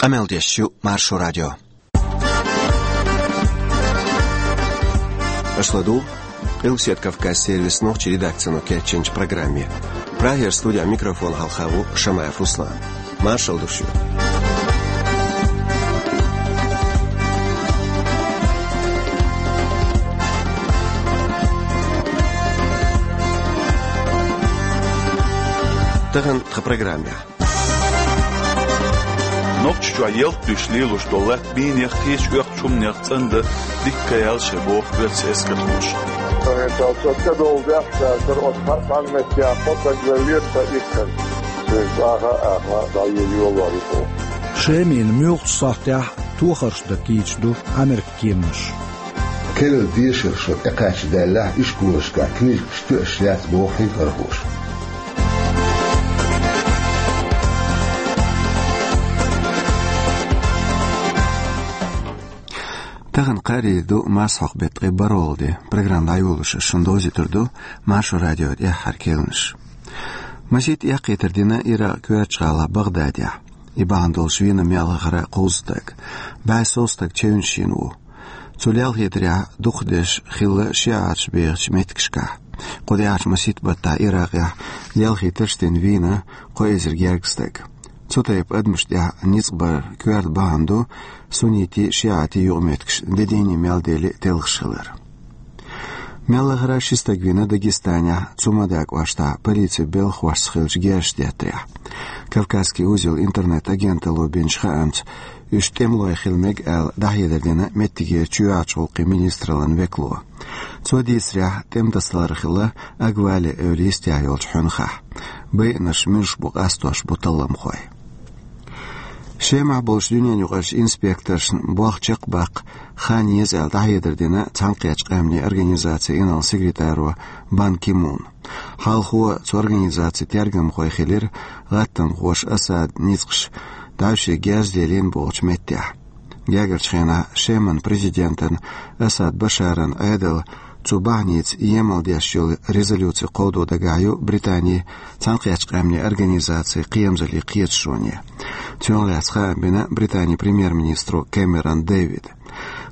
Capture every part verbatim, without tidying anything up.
Къамел деш ю Маршо радио. Аша ладугӀу Къилбаседа Кавказан сервисан нохчийн редакцино кечйинчу программе. Прагера студехь микрофон хьалха ву Шамаев Руслан. Маршалла ду шуьга. Тахана тхан программехь. Нохчийчохь ялта дуьйш лелош долу латта бийнех, кхечу оьхучу хӀуманех цӀандан дика ял шайн боху оьрсийн эскархоша. Со хӀинца ца долу дехьа цара оцу хьан меттехь кхо стаг веллера сан иккхана. Цуьнга аха а аьхна, дӀайолор ю боху. Шеман муьлххачу сахьтехь тохарш дан кийча ду Америкин кеманаш. Керла дешархой тӀекхача даьллехь, ишколашкахь книжкаш тоьаш яц боху хьехархоша. Тахана кхаарийра ду марсхьокху беттан ткъе бархӀалгӀа де. Программа дӀайолош ас шуна довзуьйтур ду Маршо радион тӀаьххьара керланаш. Масийтта эккхийтар дина Иракъан коьртачу гӀала Багъдадехь. И бахьана долуш вийна мел хӀара кхузза стаг. БӀе сов стаг чевнаш йина ву. Цу лелхийтарехь дукхахдеш хилла шиӀаташ бехачу меттигашкахь. Кху тӀаьхьарчу масийтта баттахь Иракъехь лелхийтарш дина вийна кхо эзар гергга стаг. Цу тайпа адамашна тӀехь ницкъ бар коьрта бахьана ду суннитийн, шиӀатийн юкъаметтигаш де дийне мел дели телхаш хилар. Мел хӀара ши стаг вийна Дагестанехь, Цумада кӀоштахь полицин белхахошца хиллачу герзаш деттарехь. «Кавказский узел» интернет-агенталло бинчу хаамца, уьш тӀемалой хила мега аьлла дӀахьедар дина меттигера чоьхьарчу гӀуллакхийн министраллан векало. Цо дийцарехь, тӀеман тасалар хилла Агвале эвла йистехь йолчу хьуьнхахь. Байинарш муьлш бу къастош бу талламхой. Шемахь болчу дуьненаюкъарчу инспекторшна болх чекхбаккха хан еза аьлла дӀахьедар дина Цхьаьнакхеттачу Къаьмнийн Организацин инарла-секретаро Бан Ки Муна. Хьалхо цу организацин тергамхой хилира гӀаттамхоша Асадан ницкъаш дӀаьвше герз делийна бохучу меттехь. Гергарчу хенахь Шеман президентан Асад Башаран Ӏедал цу бахьаница емал деш йолу резолюци кховдо дагахь ю Британин Цхьаьнакхеттачу Къаьмнийн Организацин кхерамзаллин кхеташоне. Цунах лаьцна хаам бина Британин премьер-министро Кэмерон Дэвида.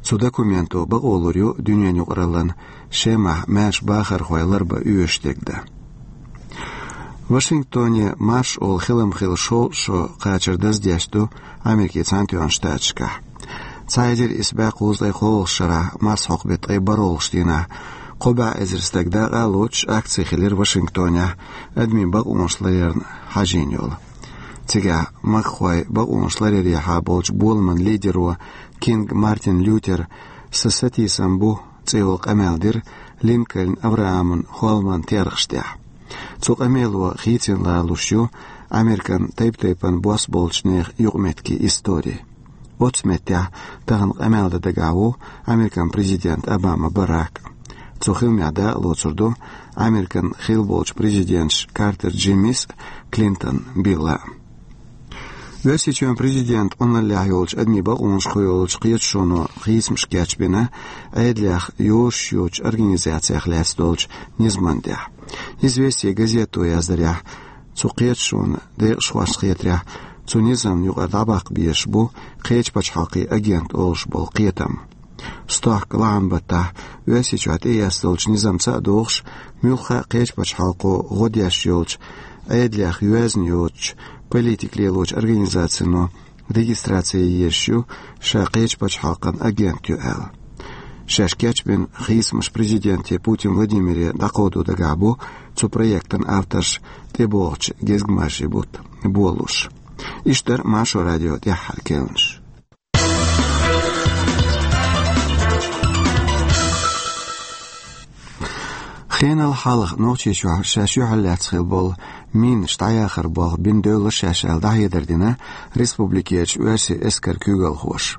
Цу документо бакъо лур ю дуьненаюкъараллин Шемахь маьрша бахархой ларбан оьшуш дерг дан. Вашингтоне марша олу хилам хила шолгӀа шо кхачар даздеш ду Америкин Цхьаьнатоьхначу Штаташкахь. Цхьа эзар исс бӀе кхузткъе кхоалгӀачу шарахь марсхьокху беттан ткъе бархӀалгӀачу дийнахь кхо бӀе эзар стаг дакъа а лоцуш акци хилира Вашингтонехь адамийн бакъонаш ларъярна хьажийна йолу. Цигахь махкахой бакъонаш ларъярехьа болчу боламан лидеро Кинг Мартин Лютера «Сан сатийсам бу» цӀе йолу къамел дира Линкольн Аврааман хӀолламан терахаш тӀехь. Цу къамело хийцина лоруш ю Американ тайп-тайпана бос болчу нехан юкъаметтигийн истори. Оцу меттехь тахана къамел дан дагахь ву Американ президент Обама Барак. Цу хиламехь дакъа лоцур ду Американ хилла болчу президенташ Картер Джиммис а, Клинтон Билла а. Оьрсийчоьнан президентан къуналлехь йолчу адамийн бакъонаш кхойолучу кхеташоно хийцамаш кечбина Ӏедалех йозуш йоцучу организацех лаьцна долчу низамна тӀехь. «Известия» газето яздарехь, цу кхеташонан декъашхошна хетарехь, цу низамна юкъара дӀабаккха безаш бу кхечу пачхьалкхийн агент олуш болу кхетам. Стохка лахьан баттахь Оьрсийчохь тӀеэцна долчу низамца а догӀуш, муьлхха а кхечу пачхьалкхо гӀо деш йолчу, Ӏедалех йоьзна йоцучу, политика лелочу организацино регистраци езаш ю, ша кхечу пачхьалкхан агент ю аьлла. Шаьш кечбина хийцамаш президенте Путин Владимире дӀакховдо дагахь бу цу проектан авторш тӀебогӀучу гезгмашин бутт болуш. Иштта дара Маршо радион тӀаьххьара керланаш. Хенал хьалха Нохчийчохь шаьш юьхьарлаьцна хилла болу минаш дӀаяхар болх бина девлла шаьш аьлла дӀахьедар дина республикерчу оьрсийн эскаран куьйгалхоша.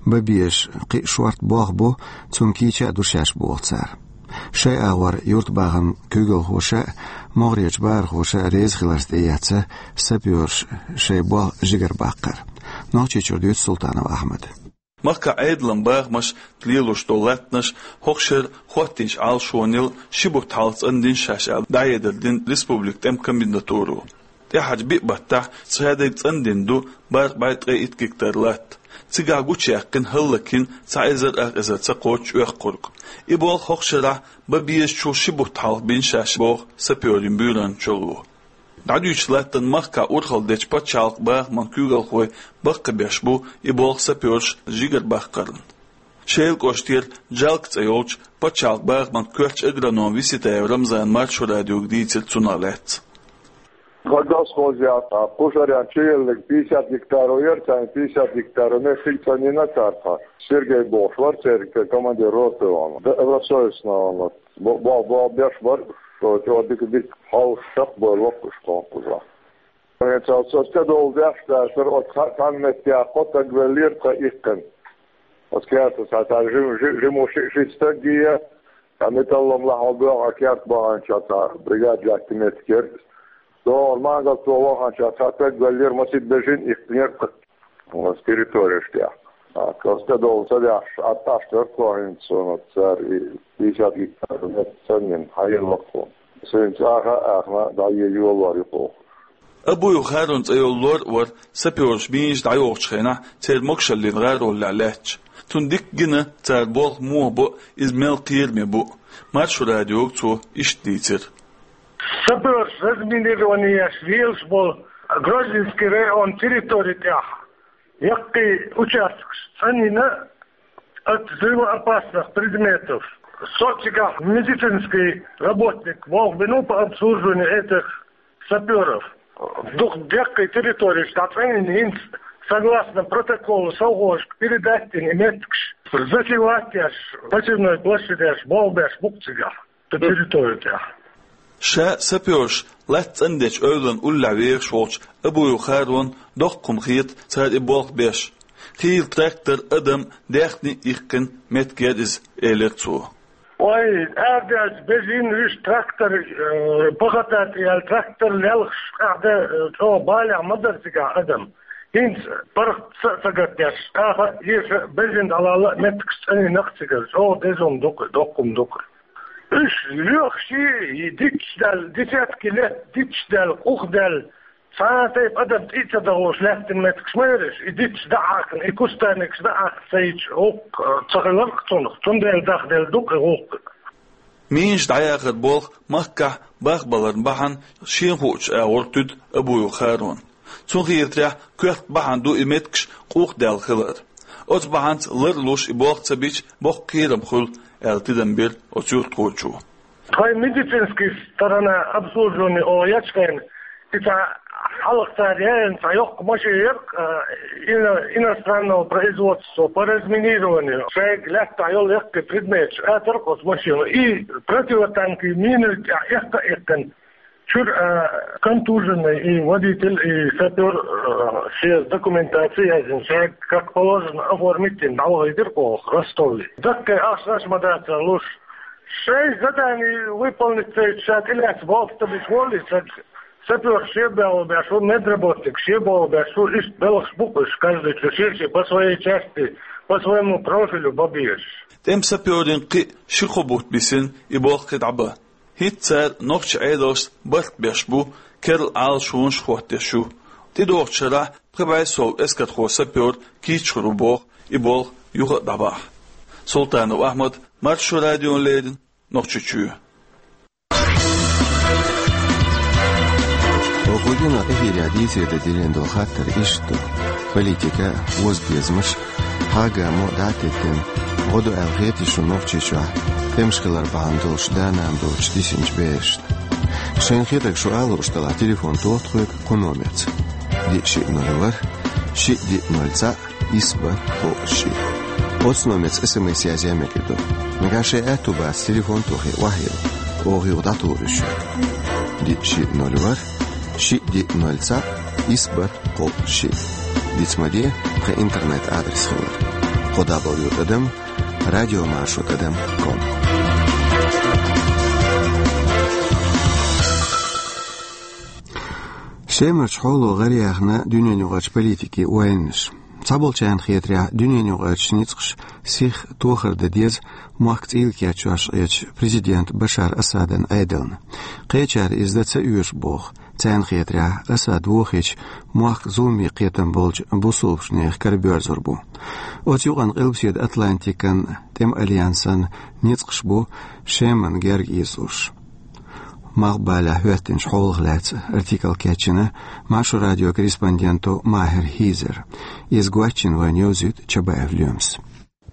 Бан безаш кхин а шортта болх бу, цунна кийча а ду шаьш боху цара. Шайн агӀор юьртабахаман куьйгалхоша а, могӀарерчу бахархоша а реза хиларца тӀеэцна сапёраша шайн болх жигарабаккхар. Нохчийчуьра дуьйцу Султанов Ахьмада. Махкахь Ӏедалан бахамаш лелош долу латтанаш хӀокху шеран хӀоттийначу Ӏалашонел ши бутт хьалха цӀандина шаьш аьлла дӀахьедар дина республикан тӀеман комендатуро. ТӀаьхьарчу биъ баттахь цхьа дерг цӀандина ду бархӀ бӀе ткъе итт гектар латта. Цигахь гучуяьккхина хӀаллакьхин цхьа эзар ах эзар ца кхоччуш оьккхург. И болх хӀокху шарахь бан безачул ши бутт хьалха бина шаьш боху сапёрийн буьйранна чоло. ДӀадуьйчу латтана махкахь урхалла дечу пачхьалкхан бахаман куьйгалхой баккхийбеш бу и болх сапёрша жигара баккхарна. Шелан кӀоштера Джалка цӀе йолчу пачхьалкхан бахаман коьртачу агрономо Виситаев Рамзана Маршо радиога дийцира цунах лаьцна. Хьан дас хоза яц, кхушарян чуеллиг пятьдесят гектаров яра, царна пятьдесят гектаров меттиг цӀанйина цара тхан. Сергей бохуш вара церан командир роты ван. Д-, Росоевс ван. Бо-, бо-, бо-, беш бар, шо чӀогӀа дика, дика хьовсуш чекхбевлла воккхуш кхонкхуза. Хьен цал со стедовла деш дацара, оцу ха-, цхьана меттехь кхо стаг веллера тхан иккхина. Оцу кертахь цхьа жим-, жи-, жима ши-, шийтта стаг гия, цхьа металлом лахьа боьгӀу а керт баханчохь цхьа бригада лаьтта меттиг яра. ДогӀур мангал тӀе ваханчохь цхьа стаг веллера, масийтта бежана иккхинера тхан. Оцу территореш тӀехь. А, кхо стедовла ца деш, Ӏад Ӏаш дара тхо хӀинца, суна цара и пятьдесят гектар меттиг цӀанйина, хьаелла ваккхо. Суна цӀахь а аьхна, дӀае йолор ю кху. Абуев Харун цӀе йолу лор а вара сапёраш мийжа дӀайохучу хенахь церан могушаллин гӀароллехь лаьтташ. Цунна дика гина цара болх муха бо а, иза мел кхераме бу а. Маршо радиога цо иштта дийцира. Сапёраш разминирование еш лелаш болу Грозненский район территори тӀехь яккхий участкаш цӀанйина от взрывоопасных предметов. Со цигахь медицинский работник волх бину по обслуживанию этих сапёров. Дукха деккхий территореш дӀа цӀанйина хӀинца, согласно протоколу, совхозашка передать дина и меттигаш. Засевать еш, посевной площадеш болх беш бу-кх цигахь, цу территори тӀехь. Ша сапёраш латта цӀандечу эвлан уллехь вехаш волчу Абуев Харона доккха хӀума хета цара и болх беш. Хийла трактор, адам, даьхни а иккхина меттиг яра иза, элира цо. Ой, аьрдаьлча бежина вуьш трактор, э, пахота тӀе яьлла трактор лелхаш, къаьхьа, э, чӀогӀа балехь ма дара цигахь адам. ХӀинца паргӀат са а ца гатдеш, тӀаккха а, эша а, бежина дӀалалла а меттигаш цӀанйина-кх цигара. ЧӀогӀа деза хӀума ду-кх, доккха хӀума ду-кх. Уьш лоьхуш и дитча даьлла, десятки лет дитча даьлла, къух даьлла, цхьа а тайпа адам тӀе а ца дахуш лаьттина меттигаш ма яра уьш, и дитча дӀа а хьаькхна, и кустарникаш дӀа а хьаькхна ца йича, гӀуллакх, э, ца хилар-кх цунах, цундела дахделла ду-кх и гӀуллакх. Мийжа дӀаяхар болх махкахь бахбаларна бахьана шена хуучу агӀор туьду Абуев Харона. Цунна хетарехь, коьрта бахьана ду и меттигаш къух даьлла хилар. Оцу бахьанца лар а луш и болх ца бича, боккха кхерам хуьлу, аьлла тидам бира оцу юьртахочо. Тхайн медицинский сторона обслуживание оха ечу хенахь, и цхьа хьалха цара яьлла цхьа йоккха машина яра-кх, а, ино-, иностранного производства по разминированию. Шайга лаьттахь йолу яккхий предметаш атара-кх оцу машино. И противотанковый миной тӀехь эккха а эккхина, чуьра, а, контуженный и водитель, и шофёр, а, шен документацию яздина, шайга, как положено, оформить дина, дӀавахийтира-кх оха Ростове. Даккхий ахчанаш ма дацара луш. Шайн задание выполнить ца йича, ша тӀелаьцна болх ца бича воллий, ша сапёр шен болх беш ву, медработник шен болх беш ву, иштта белхаш бу-кх уьш, каждый чу шен-шен по своей части, по своему профилю бан безаш. ТӀеман сапёрийн кхин а ши-кхо бутт бисина и болх кхин дӀабан. ХӀинца цара нохчийн Ӏедалшца барт беш бу, керла Ӏалашонаш а хӀоттош ю. ТӀедогӀучу шарахь пхи бӀе сов эскархо-сапёр кийча хир ву боху и болх юха а дӀабахьа. Султанов Ахьмад, Маршо радиона леррина, Нохчийчоь. Оха гина эфирехь дийцаре дан диллина долу хаттар иштта ду: политика, озабезамаш, хьагамо дӀа а теттина, гӀо ду аьлла хетий шуна Нохчийчохь тӀемаш хилар бахьана долуш да-нана доцуш дисинчу берашна? Шайна хетарг шу ала лууш делахь, телефон тоха тхоьга кху номерца: диъ шиъ ноль ворхӀ, шиъ диъ ноль цхьаъ, исс бархӀ кхоъ шиъ. Оцу номерца СМС язъян мегар ду. Нагахь шайн аьтту бац телефон тохий, охьайилла, оха юха дӀатухур ю шуьга. Диъ шиъ ноль ворхӀ, шиъ диъ ноль цхьаъ, исс бархӀ кхоъ шиъ. Диц ма де тхан интернет-адрес хилар: кхо дабл ю тӀадам радиомаршо тӀадам ком. Шемарчу хьоло гӀараяьхна дуьненаюкъарчу политикийн ойланаш. Цхьаболчарна хетарехь, дуьненаюкъарчу ницкъаша сиха тохар дан деза мохк цӀийла кечъеш Ӏечу президент Башар Асадан Ӏедална. Кхечара иза дан ца оьшу боху. Царна хетарехь, Асад вохийча, мохк зуламе кхетам болчу бусалбачу нехан кара боьрзур бу. Оцу юкъана Къилбаседа Атлантикан тӀеман альянсан ницкъаш бу Шеман герга ийзалуш. Малхбалехь хӀоьттинчу хьолах лаьцна артикл кечйина Маршо радион корреспонденто Махьер Хьизера. Иза гочйина вайна йовзуьйту Чабаев Лоьмас.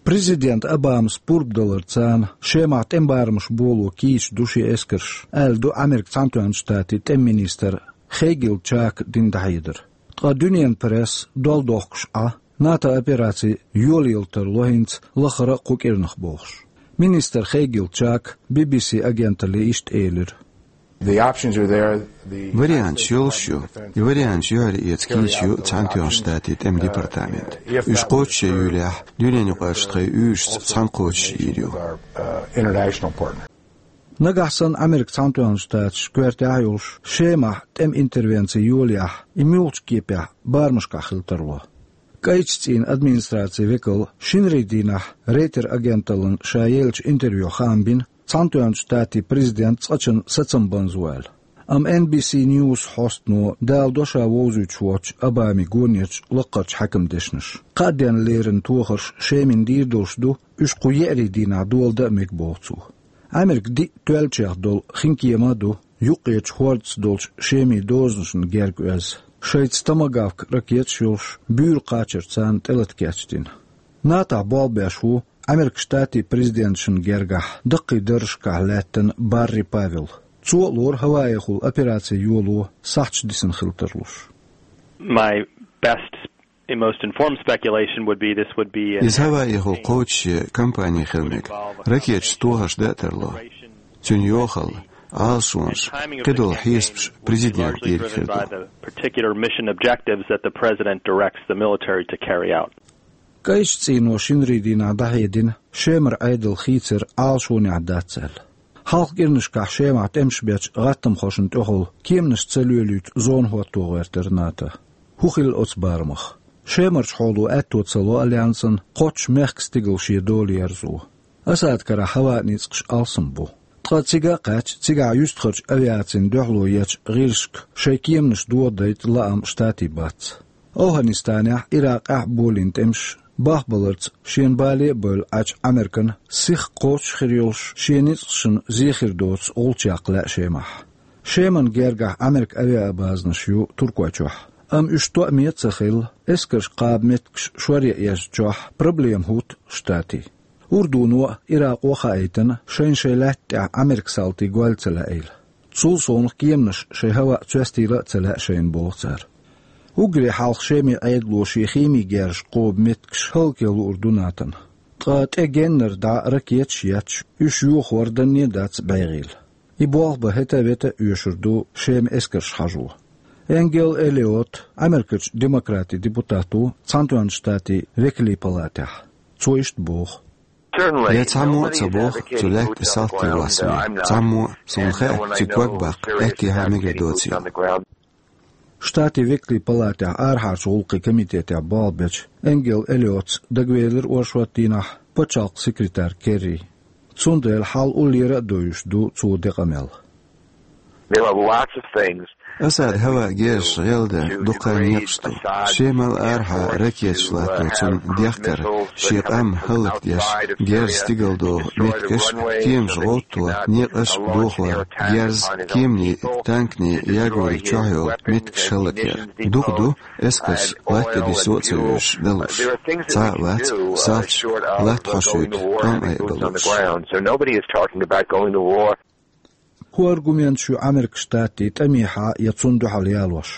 Президент Обамас пурба даларца Шемахь тӀеман барамаш боло кийча ду шен эскарш, аьлла ду Американ Цхьаьнатоьхначу Штатийн тӀеман министра Хегил Чака дина дӀахьедар. Ткъа дуьненан пресса дол дохкуш Ӏа, НАТО операци йолаелла тарло хӀинца лаххара а кху кӀирнах бохуш. Министра Хегил Чака Би-Би-Си агенталле иштта элира: The options are there. The Варианташ йолуш ю. И варианташ юьхьар эца кийча ю Цхьаьнатоьхначу Штатийн тӀеман департамент. Уьш кхочушъюьйлахь, дуьненаюкъарчу тхайн уьйрашца цхьаьна кхочушйийр ю. Uh, international partner. Нагахь санна Американ Цхьаьнатоьхначу Штаташ коьртехь а йолуш, Шемахь тӀеман интервенци йолаяхь, и муьлхачу кепехь барамашкахь хила тарло. КӀайчу цӀийнан администрацин векал шинарин дийнахь Рейтер агенталлина ша еллачу интервьюхь хаам бина, Цхьаьнатоьхначу Штатийн президент цкъачунна сацам банза ву аьлла. Амма Эн Би Си Ньюс хьостано даладо ша вовзуьйтуш воцчу Обамин гонерчу лаккхарчу хьаькаман дешнаш. Кхаа денна леррина тохарш Шемина дийр долуш ду, уьш кху еарин дийнахь доладан а мега, боху цо. Америка диъ тоьллачех долу хинкема а ду, юккъерчу хӀордаца долчу Шемин дозанашна герга оьзна, шайца томагавк ракеташ йолуш, буьйра кхачар царна тӀелата кечдина. НАТОхь болх беш ву Американ Штатийн президенташна гергахь даккхий даржашкахь лаьттина Барри Павел. Цо а лору ХӀаваихула операци йоло сахьташ дисина хила тарлуш. My best and most informed speculation would be this would be an Иза ХӀаваихула кхочушъе кампани хила мега, ракеташца тохарш дан а тарло. Цуьнан йохалла, Ӏалашонаш, кхидолу хьесапаш президентан дийриг хир ду. Particular mission objectives that the president directs the military to carry out. КӀайчу цӀийно шинарин дийнахь дӀахьедина Шемара Ӏедал хийцар Ӏалашонехь дац аьлла. Хьалха кӀирнашкахь Шемахь тӀемаш бечу гӀаттамхошна тӀехула кеманаш ца лоьлуьйту зона хӀотто гӀоьртира НАТО. ХӀун хилла оцу барамах? Шемарчу хьоло аьтто ца ло альянсан кхоччуш мехкан стигала шен дола ерзо. Асадан карахь хӀаваан ницкъаш алсам бу. Ткъа цига а кхаьчча, цигахь юьстахарчу авиацина дуьхьало ечу гӀирсашка шайн кеманаш дохадайта лаам Штатийн бац. АфгӀанистанехь, Иракъехь а болийна тӀемаш бахбаларца шена бале а бевлла Ӏачу Американа сиха кхочуш хир йолуш шен ницкъашна зе хир доцу гӀулч яккха лаьа Шемахь. Шеман гергахь Американ авиабазанаш ю Туркойчохь, амма уьш тоъаме а ца хилла, эскарш кхаба меттигаш шоръян езначохь проблема хӀутту Штатийн. Урдуно а, Иракъо а хаийтина, шайна шайн лаьтта тӀехь Американ салтий гойла ца лаьийла. Цул совнаха кеманаш шайн хӀаваъ цоьстийла а ца лаьа шайна, боху цара. Уггаре хьалха Шеман Ӏедало шен химин герзаш кхоба меттигаш хӀаллакъян луур ду НАТОна. Ткъа тӀе геннара дӀа ракеташ а етташ, уьш йохор данне а дац бӀегӀийла. И болх бан хӀета а вета а оьшур ду Шеман эскарш хьажо. Энгел Эллиот, Америкерчу демократийн депутат ву, Цхьаьнатоьхначу Штатийн векалийн палатехь. Цо иштта боху: Я цхьаммо а ца боху цу лаьтта тӀе салтий воссаме. Цхьаммо а, суна хаьа, цуьнан ког баккха аьттехьа мегар доцийла. Штатийн векалийн палатехь арахьарчу гӀуллакхийн комитетехь болх бечу Энгел Эллиотс дагавелира оршот дийнахь пачхьалкхан секретарь Керри. Цундела хьал уллера а довзуьйтуш ду цо декъамел. There are lots of things. Асадан хӀаваан герзаш гӀелдан дуккха а некъаш ду. Шемал арахьа ракеташ латто цунна дехкар, шен къам хӀаллакдеш, герз стигалдоху меттигаш, кеманаш гӀовтто, некъаш а дохор, герз, кеманийн, танканийн ягориг чохь йолу меттигаш хӀаллакъяр. Дукха ду эскарш латта тӀе диссо а ца вуьйш далуш. Цхьа а вац салташа латта хьошуьйту тӀом айа балуш. So nobody is talking about going to war. ХӀун аргументаш ю Американ Штатийн тӀамехьа я цунна дуьхьал ялош?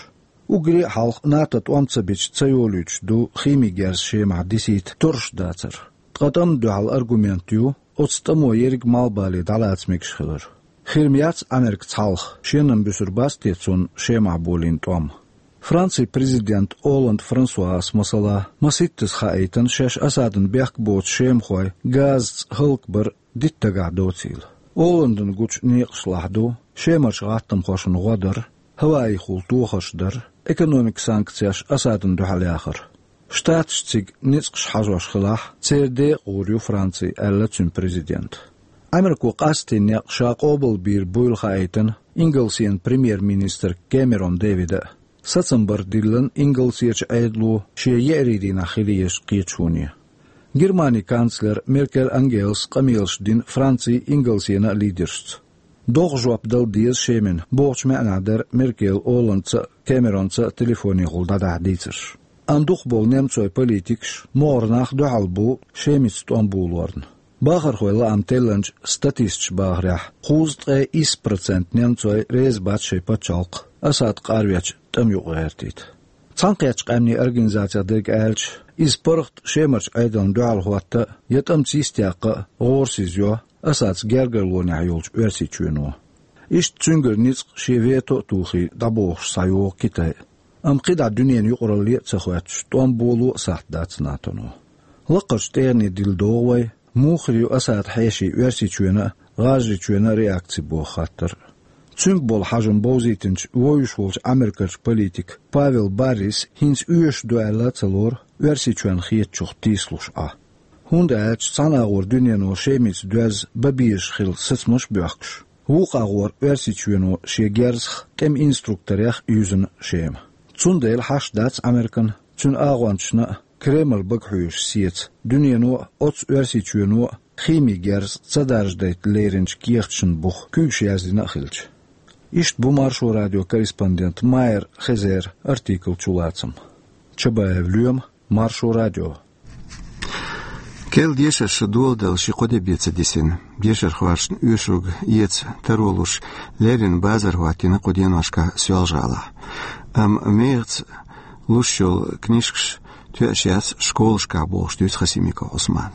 Уггаре а хьалха НАТО тӀом ца бича ца йолуьйтуш ду химин герз Шемахь дисийта торраш дацар. Ткъа тӀамна дуьхьал аргумент ю оцу тӀамо ерриг малхбале дӀалаца мегаш хилар. Хир ма яц Америка цхьалха, шен-м буьсур бац те цунна Шемахь болийна тӀом? Францин президент Олланд Франсуас, масала, масийттаза хаийтина шаьш Асадна бехк боцу шемахой газаца хӀаллакбар дитта дагахь доцийла. Олландана гучу некъашлахь ду Шемарчу гӀаттамхошна гӀо дар, хӀаваихула тохарш дар, экономикан санкцеш Асадна дуьхьал яхар. Штаташ цига ницкъаш хьажош хилахь, церан декъа гӀур ю Франци, аьлла цуьнан президента. Америко къаьсттина некъ ша къобалбийр буйла хаийтина Ингалсен премьер-министр Кэмерон Дэвида а, сацам бар диллина Ингалсечу Ӏедало шен еарин дийнахь хила езаш кхеташоне. Германин канцлер Меркель Ангелас къамелаш дина Францин, Ингалсенан а лидершца. Доггах жоп дала деза Шемина бохучу маьӀнехь дара Меркель Олландца а, Кэмеронца а телефонехула дӀадахьа дийцарш. Амма дукхахболу немцойн политикаш, могӀара нах дуьхьал бу Шемица тӀом болорна. Бахархойн лаам теллинчу статисташа бахарехь, кхузткъе исс процент немцой реза бац шайн пачхьалкх Асад къарвечу тӀама юкъа гӀертийта. Цхьаьнакхеттачу Къаьмнийн Организацех дерг аьлча, иза паргӀат Шемарчу Ӏедална дуьхьал хӀотта а, я тӀамца йистехь а гӀорасиз йо Асадца гергарлонехь йолчу Оьрсийчоьно. Иштта цуьнгара ницкъ шен вето а тухий дӀабохуш схьайогӀу Китай. Амма кхидӀа дуьненан юкъаралле а ца хоьттуш, тӀом боло а сахьт дац НАТОно. Лаккхарчу тӀегӀане дилла догӀу вай, муха хир ю Асадан хьешийн Оьрсийчоьнан а, ГӀажарийчоьнан а реакци боху хаттар. Цуьнга болу хьажам бовзийтинчу вовзуш волчу Ӏамеркарчу политика Павел Баррис хӀинца оьшуш ду аьлла а ца лору Оьрсийчоьнна хетачух тийсалуш Ӏа. ХӀунда аьлча цхьана агӀор дуьнено Шемица доьзна бан безаш хилла сацамаш а боьхкуш, вукху агӀор Оьрсийчоьно шен герзах, тӀеман инструкторех а юьзна Шема. Цундела хьашт дац Ӏамеркана, цуьнан агӀончашна а, Кремль бага хьоьжуш сеца дуьнено а, оццу Оьрсийчоьно а химин герз ца даржадайта леринчу кехаташна буха куьйгаш яздина а хилча. Иштта бу Маршо радион корреспондент Майер Хезеран артиклан чулацам. Чабаев Лоьма, Маршо радио. Керла дешарша доладала ши-кхо де бен ца дисина. Дешархошна оьшург эца таро луш, леррина базар хӀоттийна кху деношкахь Соьлжа-ГӀалахь. Амма мехаца луш йолу книжкаш тоьаш яц школашкахь бохуш дуьйцу Хасимиков Ӏусмана.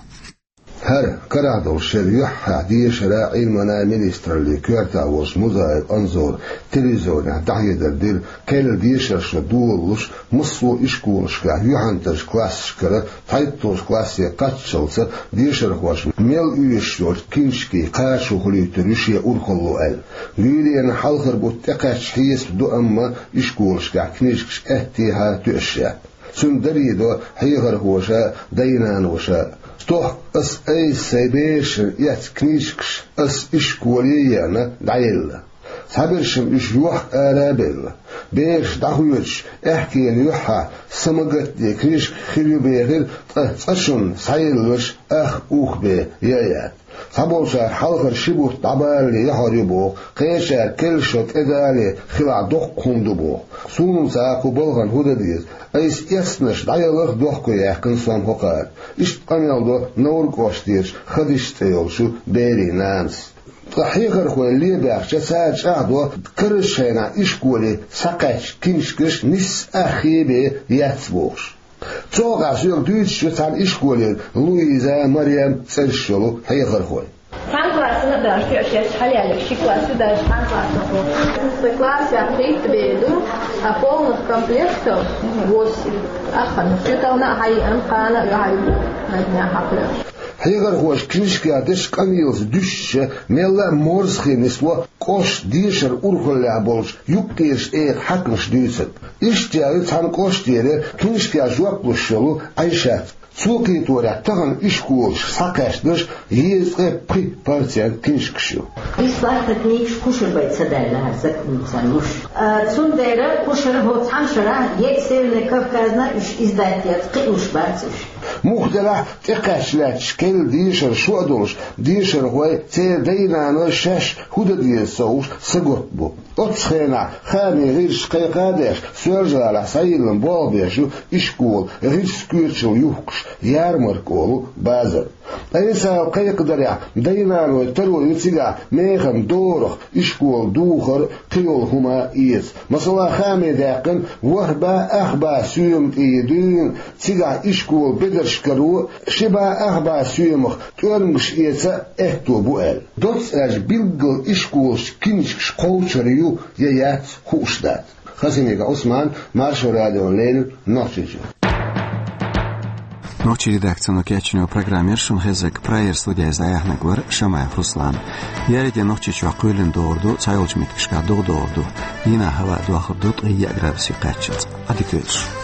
ХӀара карахь долуш шеран юьххьехь дешаран а, Ӏилманан а министраллин коьртехь волчу Музаев Анзора телевизионехь дӀахьедар дира, керла дешарша доладалуш массо а ишколашкахь юьхьанцарчу классашкара цхьайтталгӀачу классе кхаччалца дешархошна мел оьшуш йолчу книжкийн кхачо хуьлуьйтур ю шен урхалло аьлла. Гуьйренна хьалхара бутт тӀекхаьчча хьесап ду, амма ишколашкахь книжкаш аьттехьа тоьаш яц. Цуьнан даре до хьехархоша а, дай-наноша а. Стохка ас айса сайн берашна эцна книжкаш ас ишколе а еана дӀаелла. Цхьабершна уьш йохка ара а белла. Бераш дӀахоьдуш, аьхкенан юьххьехь са ма-гатде книжка хир ю бехира, ткъа цкъачунна схьаелларш ах ух бен ян а яц. Цхьаболчара хьалхара ши бутт дӀабалале яхьар ю боху, кхечара керла шо тӀедалале хилахь доккха хӀума ду боху. Суна ца кху балхана хӀун дан деза, айса эцнарш дӀаяларх дохко яьккхина сон хӀокхара. Иштта къамел до Невран кӀоштерчу Хадиша цӀе йолчу берийн нанас. Ткъа хьехархой лебаьхча, цара чӀагӀдо карарчу хенахь ишколе схьакхаьчча книжкаш нисса ах хи бен яц бохуш. Цу хьокъехь соьга дуьйцуш ю цхьана ишколера Луиза, Марем цӀераш йолу хьехархой. Цхьана классана а даже тоьаш яц, хьалаялларг ши класс ю, даже цхьана классана а. Сан класс яхь хӀитта бен ду, а полных комплектов восемь. Ахана, чу тална а хьайиъна, кхана а юьхьа ю, на днях хьакхоьхуш. Хьехархоша книжкех дечу къамелаца дуьстича, мелла а морзахе нисло кӀоштан дешаран урхаллехь болчу юккъерчу тӀегӀан хьаькамаша дуьйцург. Иштта яьлла цхьана кӀоштера книжкех жоп луш йолу Ӏайшат. Цо кхеторехь, тахана ишколашка схьакхаьчнарш езткъе пхи процент книжкаш ю. Бесплатно книгаш кхушара бен ца даьлла хӀара законца луш. А, цундела кхушара хӀокху цхьана шарахь, е Северный Кавказна уьш издать яц, кхиош бац уьш. Муха делахь а, тӀекхаьчча лаьтташ керла дешар шо а долуш, дешархой, церан дай-наной шаьш хӀун дан деза ца хууш, сагатта бу. Оццу хенахь хаамийн гӀирсаша кхайкха а деш, Соьлжа-ГӀалахь схьайиллина болх беш ю ишколан гӀирсийн коьчалла юхкуш, ярмарка олу базар. Айса кхайкхадарехь, дай-наной таро ю цигахь механа дорах, ишкола духар, кхин йолу хӀума эца. Масала, хааме даьккхина ворхӀ бӀе ах бӀе соьма тӀе дуьйна, цигахь ишколан бедарш каро, ши бӀе ах бӀе соьмах тӀоьрмигаш эца аьтто бу аьлла. Доцца аьлча, билггал ишколашчу книжкаш кхочур ю я яц, хууш дац. Хасимиков Ӏусман, Маршо радиона леррина, Нохчийчуьра. Нохчийн редакцино кечйина программа яра шуна хезнарг, прайеран студехь иза дӀаяьхьнарг вара Шамаев Руслан. Еарин де Нохчийчохь кхоьлина догӀур ду, цхьайолчу меттигашкахь догӀа догӀур ду. Дийнахь хӀаваъ дохур ду ткъе яа градусе кхаччалц. Ӏадика йойла шун.